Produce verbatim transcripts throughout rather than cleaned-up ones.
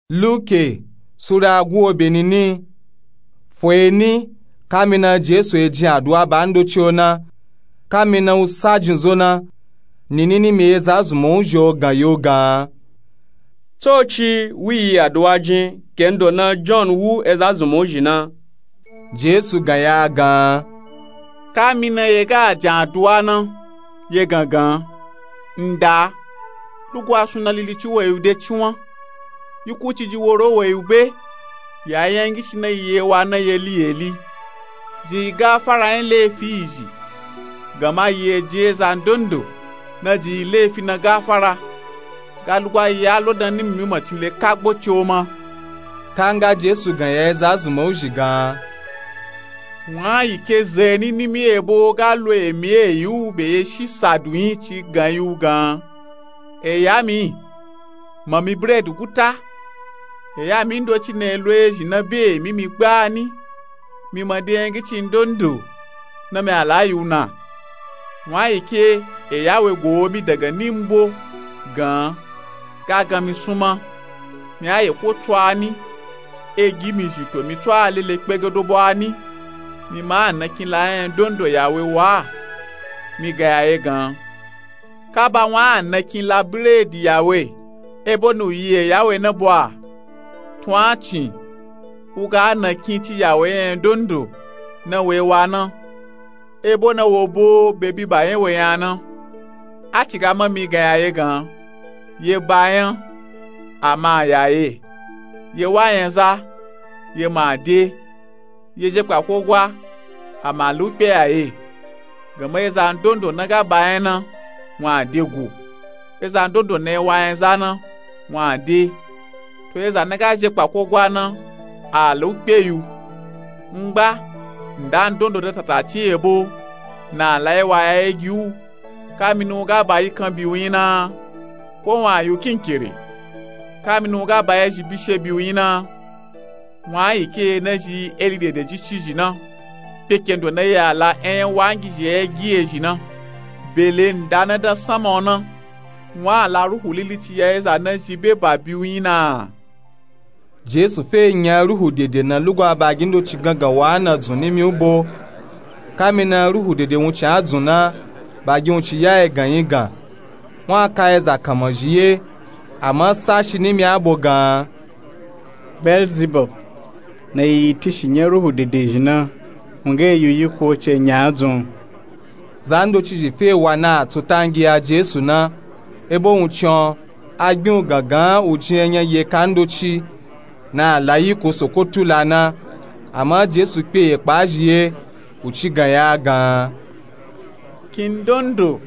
Luke sura guwo be nini. Foye ni, kamina jesu e jin aduwa ba ndoci o na, kamina u sa jin zo na, nini ni mi eza zunmọ uzhi o gan yi u gan. Tsoci wi yi aduwa jin kendo na john wu eza zunmọ uzhi na. Jesu gan yi a gan. Kamina ye ga jan aduwa na, ye gan gan, nda, lugwa suna lilici we yi u de ciwan, yi kuciji woro we yi u be, yi a yangici na yi ye wa na yeli yeli. Ji yi gafara yin lefi yi zhi, gama yi e jin eza ndondo na ji yi lefi na gafara. Ga lugwa yi a lo dan nimi mi macin le kagbo ci o ma. Kanga jesu gan yi a eza zunmọ uzhi gan. Wan yi ke zeni nimi ebo ga lo emi e yi u be ye shi sadu yin ci gan yi u gan. Eya mi, mami bredi guta. Eya mi ndoci na e lo ezhi na be emi mi gbani, mi ma de yangici ndondo na mi a la yi u na. Wan yi ke eya we go mi daga nimbo gan, ga gan mi sunma, mi a ye ko tso a ni, e gi mi zhi to mi tso a lele kpegedo bo a ni, mi ma a nakin la yin ndondo ya we wa. Mi gan yi a ye gan. Kaba wan a nakin la bredi ya we, ebo na u yi eya we na bo a, tun a cin, u ga a nakin ci ya we yin ndondo na we wa na, ebo na wo bo be biba yin we yin a na. A ci ga ma mi gan yi a ye gan. Ye ba yin, ama ya ye. Ye wa yin za, ye ma de. Ye je kpako gwa, ama lu kpe ya ye. Gama eza ndondo na ga ba yin na, wan a de go. Eza ndondo na e wa yin za na, wan a de. To eza na ga je kpako gwa na, a lu kpe yi u. Ngba, nda ndondo da tatacin ebo, na a la yi wa ya ye gi u, kamina u ga ba yi kan bi u yin na, ko wan a yi u kinkere, kamina u ga ba yi ezhi bishe bi u yin na. Wan yi ke na zhi eli dede ji ci zhi na, kpekendo na yi a la eyan wangizhi e gi ezhi na, bele nda na dan sanma o na, wan a la ruhu lilici ya eza na zhi be ba bi u yin na. Jesu fe nya ruhu dede na lugwa bagi ndoci gangan wa na dzun nimi u bo. Kamina ruhu dede wuncin a dzun na, bagi wuncin ya e gan yi gan. Wan a ka eza kanmazhi ye, ama sashi nimi a bo gan. Belzibub, na yi yi tishi nya ruhu dede zhi na, wun ga e yi u yiko ce nya a dzun. Za ndoci zhi fe wa na a tsu tangi ya jesu na, ebo wuncin o, a gbin u gangan u jin enya ye ka ndoci, na a la yiko soko tula na. Ama jesu kpe ye kpa zhi ye, u ci gan yi a gan. Kin ndondo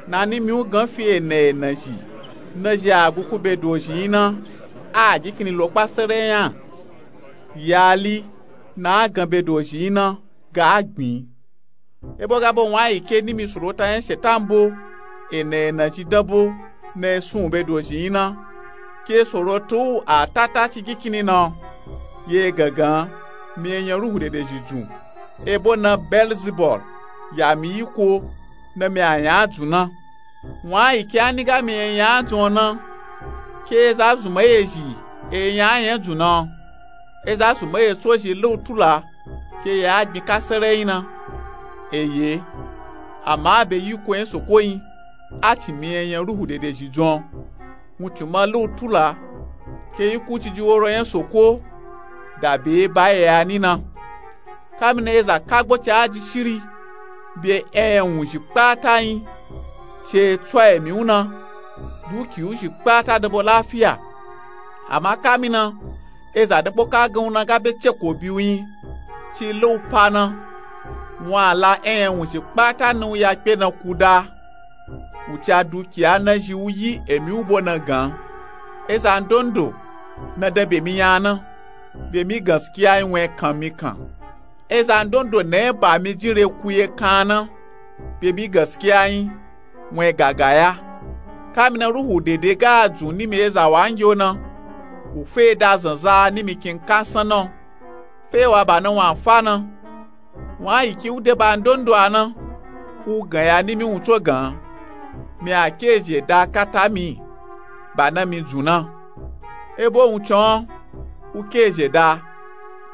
na nimi u gan fi ena ena zhi, na zhi a gukun be dozhi yin na, a gi kini lo kpa sere nya. Yali, na a gan be dozhi yin na, ga a gbin. Ebo ga bo wan yi ke nimi sorota nya shetan bo, ena ena zhi dan bo, na e sun u be dozhi yin na. Ke soroto u a tata ci gi kini na o. Ye gangan, mi e nya ruhu dede zhi dzun, ebo na belzibul, ya mi yiko, na mi a nya a dzun na. Wan yi ke a ni ga mi e nya a dzun o na, ke eza zunmọ ye zhi e nya a nya dzun na o. Eza zunmọ ye tso zhi le u tula, ke ye a gbin ka sere yin na. Eye, ama be yiko nya soko yin, a ci mi e nya ruhu dede zhi dzun o. Wuncin ma le u tula, ke yi kuciji woro nya soko, da be ba ye a ni na. Kamina eza kagbo ci a ji shiri, be eyan wunzhi kpata yin, ce tso emi u na, duki u zhi kpata dan bo lafiya. Ama kamina eza dan bo ka gan u na ga be ceko bi u yin, ci le u pa na, wan a la eyan wunzhi kpata na u ya kpe na kuda. U ci a dukiya na zhi u yi emi u bo na gan. Eza ndondo na dan be mi nya na, be mi gaskiya yin wan e kan mi kan. Eza ndondo na e ba mi jin re ku ye kan na, be mi gaskiya yin wan e gagaya. Kamina ruhu dede ga a dzun nimi eza wangi o na, u fe da zanza nimi kin ka san na o. Fe wa ba na wan a fa na. Wan yi ke u de ba ndondo a na, u gan ya nimi wun tso gan. Mi a ke zhi e da kata mi, ba na mi dzun na. Ebo wuncin-o, wu ke ezhe da,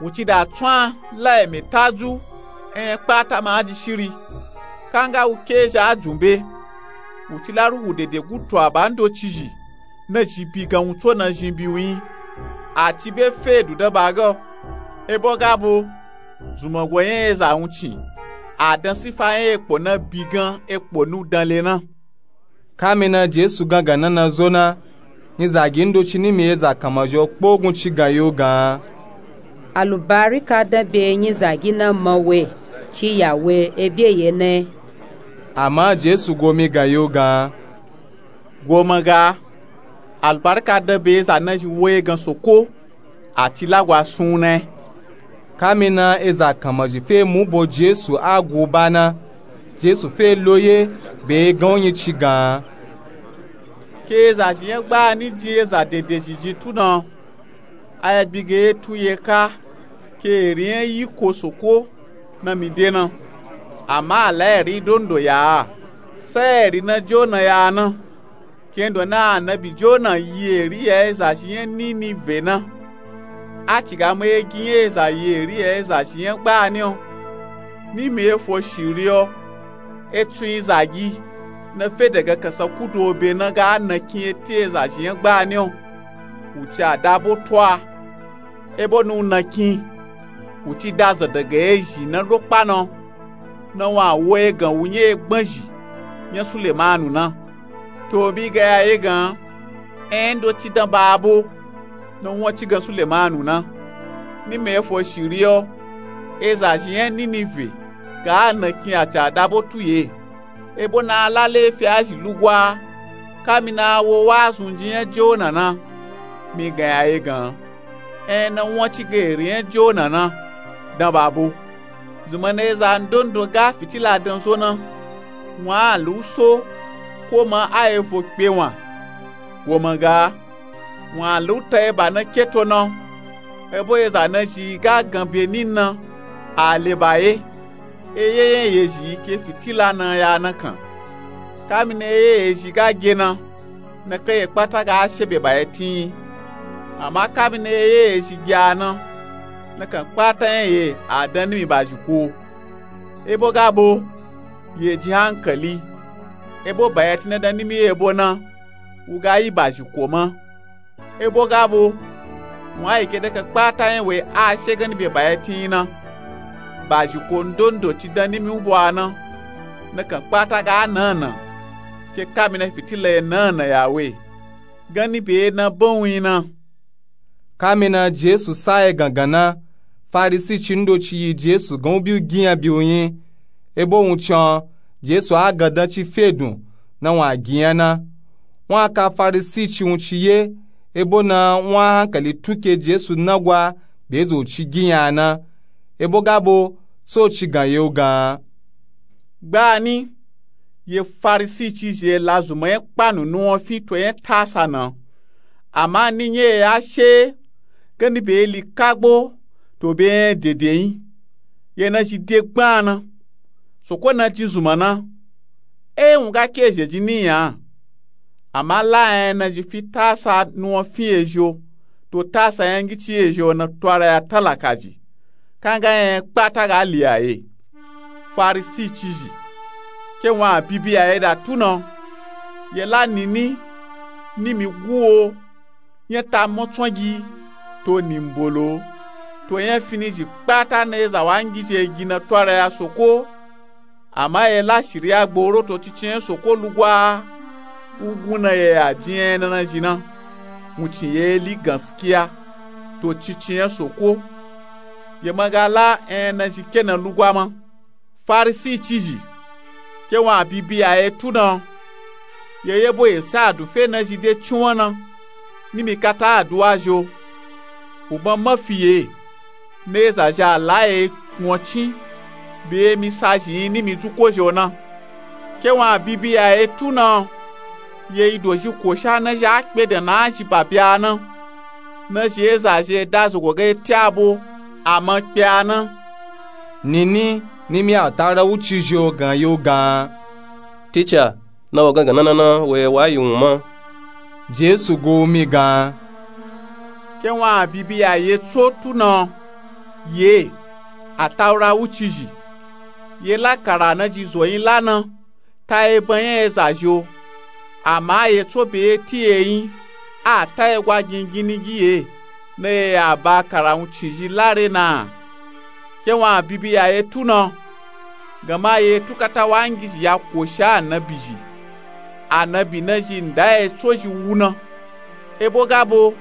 wu ci da tswan la emi tadzu, enyẹ kpata ma a ji shiri. Kanga wu ke ezhe a jumbe, wu ci la ruhu dede gutu aba ndoci zhi, na zhi bi gan wun tso na zhin bi wu nyi. A ci be fe edu dan ba ga o. Ebo ga bo, zunmango nya eza wuncin, a dan sifa nya ekpo na bi gan ekpo nu dan le na. Kamina Jesu gangan na na zo na, nyizagi ndoci nimi eza kanma zhi o kpogun ci gan yi u gan. Alubarika dan be nyizagi na ma we, ci ya we ebye ye na. Ama Jesu go mi gan yi u gan. Go ma ga, alubarika dan be eza na zhi wo ye gan soko, a ci lagwa sun u na. Kamina eza kanma zhi fe mu bo Jesu a gu ba na. Jesu fe lo ye, be gan u nyi ci gan. Ke eza zhi nya gbani jin eza dede zhi jin tu na. A ya bi ge ye tu ye ka, ke eri nya yiko soko na mi de na. Ama a la eri ndondo ya a, sa eri na jona ya a na. Kendo na anabi jona yi eri ya eza zhi nya ninive na. A ci ga ma ye gi nya eza yi eri ya eza zhi nya gbani o. Nimi efo shiri o, etsun izagi na fe daga kasa kudu obe na ga nakin eti eza zhi nya gbani o. Wu ci a da bo tu a, ebo na u nakin, wu ci da zan daga ezhi na lo kpa na o, na wun a wo egan wu nya egban zhi nya Sulemanu na. To bi ga ya ye gan, enya ndoci dan ba bo, na wun ci gan Sulemanu na. Nimi efo shiri o, eza zhi nya ninive ga nakin a ci a da bo tu ye. Ebo na a la lefi a zhi lugwa, kamina a wo wa zun jin nya jona na. Mi gan ya ye gan, enya na wun ci ga eri nya jona na, dan ba bo. Zunmana eza ndondo ga fitila dan zo na, wun a lu u so, ko ma a evo kpe wun a. Go ma ga, wun a lu u ta eba na keto na. Ebo eza na zhi ga gan be ni na, a le ba ye. Eye nya ye zhi ke fitila na ya na kan. Kamina eye ye zhi ga ge na, nakan ye kpata ga she be ba ye tin yi. Ama kamina eye ye zhi ge a na, nakan kpata nya ye a dan nimi bazhiko. Ebo ga bo, ye jin hankali, ebo ba ye tin na dan nimi ye bo na, wu ga yi bazhiko ma. Ebo ga bo, wun a yi ke nakan kpata nya we a she ganni be ba ye tin yi na. Bazhiko ndondo ci dan nimi u bo a na, nakan kpata ga nana, ke kamina fitila ye nana ya we, ganni be ye na ban wu yi na. Kamina Jesu sa ye gangan na, Farisi ci ndoci yi Jesu gan u bi u ginya bi u nyi. Ebo wuncin o, Jesu a gandan ci fe dun, na wun a ginya na. Wun a ka Farisi ci wun ci ye, ebo na wun a hankali tun ke Jesu na gwa be zo ci ginya na. Ebo ga bo, so ci gan yi u gan. Gbani, ye Farisi ci zhi ye la zunma nya kpanu nuwun fin to nya tasa na. Ama ni nya ye a she, ganni be ye li kagbo, to be nya dede nyi. Ye na zhi de gban na. Soko na jin zunma na. E wun ga ke zhe jin ni nya. Ama la nya na zhi fi tasa nuwun fin ye zhi o, to tasa nya ngici ye zhi o na twara ya talaka zhi. Kanga nya kpata ga li a ye. Farisi ci zhi. Ke wun a bibi a ye da tu na. Ye la nini, nimi guo, nya ta motsongi, to nimbolo, to nya fini zhi kpata na ye za wa ngiji ye gi na twara ya soko. Ama ye la shiriya gboro to cici nya soko lugwa, u gun na ye ya jin nya na na zhi na. Wun ci ye li ganskiya, to cici nya soko. Ye ma ga la nya na zhi ke na lugwa ma. Farisi ci zhi. Ke wun a bibi a ye tu na. Ye ye bo ye sa a dun fe na zhi de ciwan na. Nimi kata aduwa zhi o. U ma ma fi ye. Na ye za zhi a la ye wun cin. Be ye mi sa zhi nyi nimi dzuko zhi o na. Ke wun a bibi a ye tu na. Ye yi dozhi kosha na zhi a kpe dan na a zhi ba bya na. Na zhi ye za zhi ye da zogo ga ye ti a bo, a ma kpe a na. Nini, nimi a ta ra u ci zhi o gan yi u gan. Tica, na wo gangan na na na we wa yi wun ma. Jesu go u mi gan. Ke wun a bibi ya ye tso tu na, ye, Ataura wucizhi, ye la kara na zhi zo yin la na, ta ye ban nya eza zhi o. Ama ye tso be ye ti ye yin, a ta ye gwa gingin ni gi ye, na ye ya ba kara wucizhi la re na. Ke wun a bibi ya ye tu na, gama ye tu kata wangizhi ya koshi anabizhi, anabi na zhi nda ye tso zhi wu na. Ebo ga bo,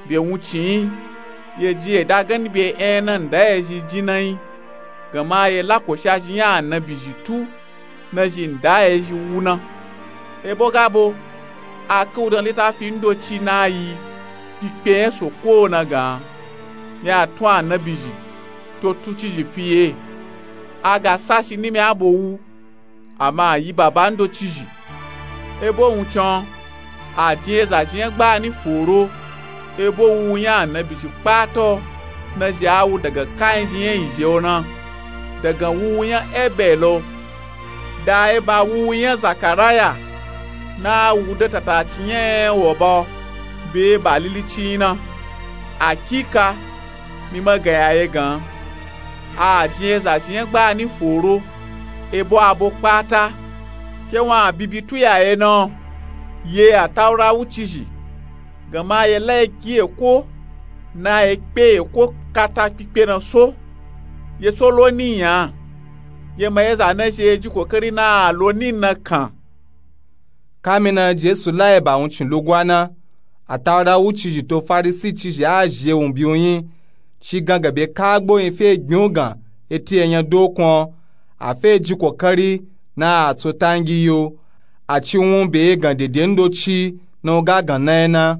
be wuncin yin, ye ji ye da gani be enya na nda ye zhi jin na yin, gama ye la koshi a zhi nya anabizhi tu na zhi nda ye zhi wu na. Ebo ga bo, a ke wu dan litafi ndoci na yi kpikpe nya soko na gan, mi a tun anabizhi to tucizhi fi ye. A ga sashi nimi abo wu, ama a yi baba ndocizhi. Ebo wuncin a jin eza zhi nya gbani foro, ebo wuwu nya anabizhi kpata o, na zhi a wu daga kainji nya izhe o na, daga wuwu nya ebel o, da ye ba wuwu nya zakaraya, na a wu de tataci nya enya wo ba o, be ye ba lilici yin na. Akika, mi ma gan ya ye gan, a jin eza zhi nya gbani foro, ebo abo kpata. Ke wun a bibi tu ya ye na, ye Ataura wucizhi, gama ye la ye gi eko, na ye kpe eko kata kpikpe na so, ye tso lo ni nya, ye ma ye za na zhi ye ji kokari na a lo ni na kan. Kamina Jesu la ye ba wuncin lugwa na, Ataura wucizhi to Farisi cizhi a zhi ye wun bi wu yin, ci gan ga be kagbo yin fe gbin wu gan eti enya dokun o, a fe ji kokari na a tso tangi yi o, a ci wun be ye gan dede ndoci na wu ga gan na ye na.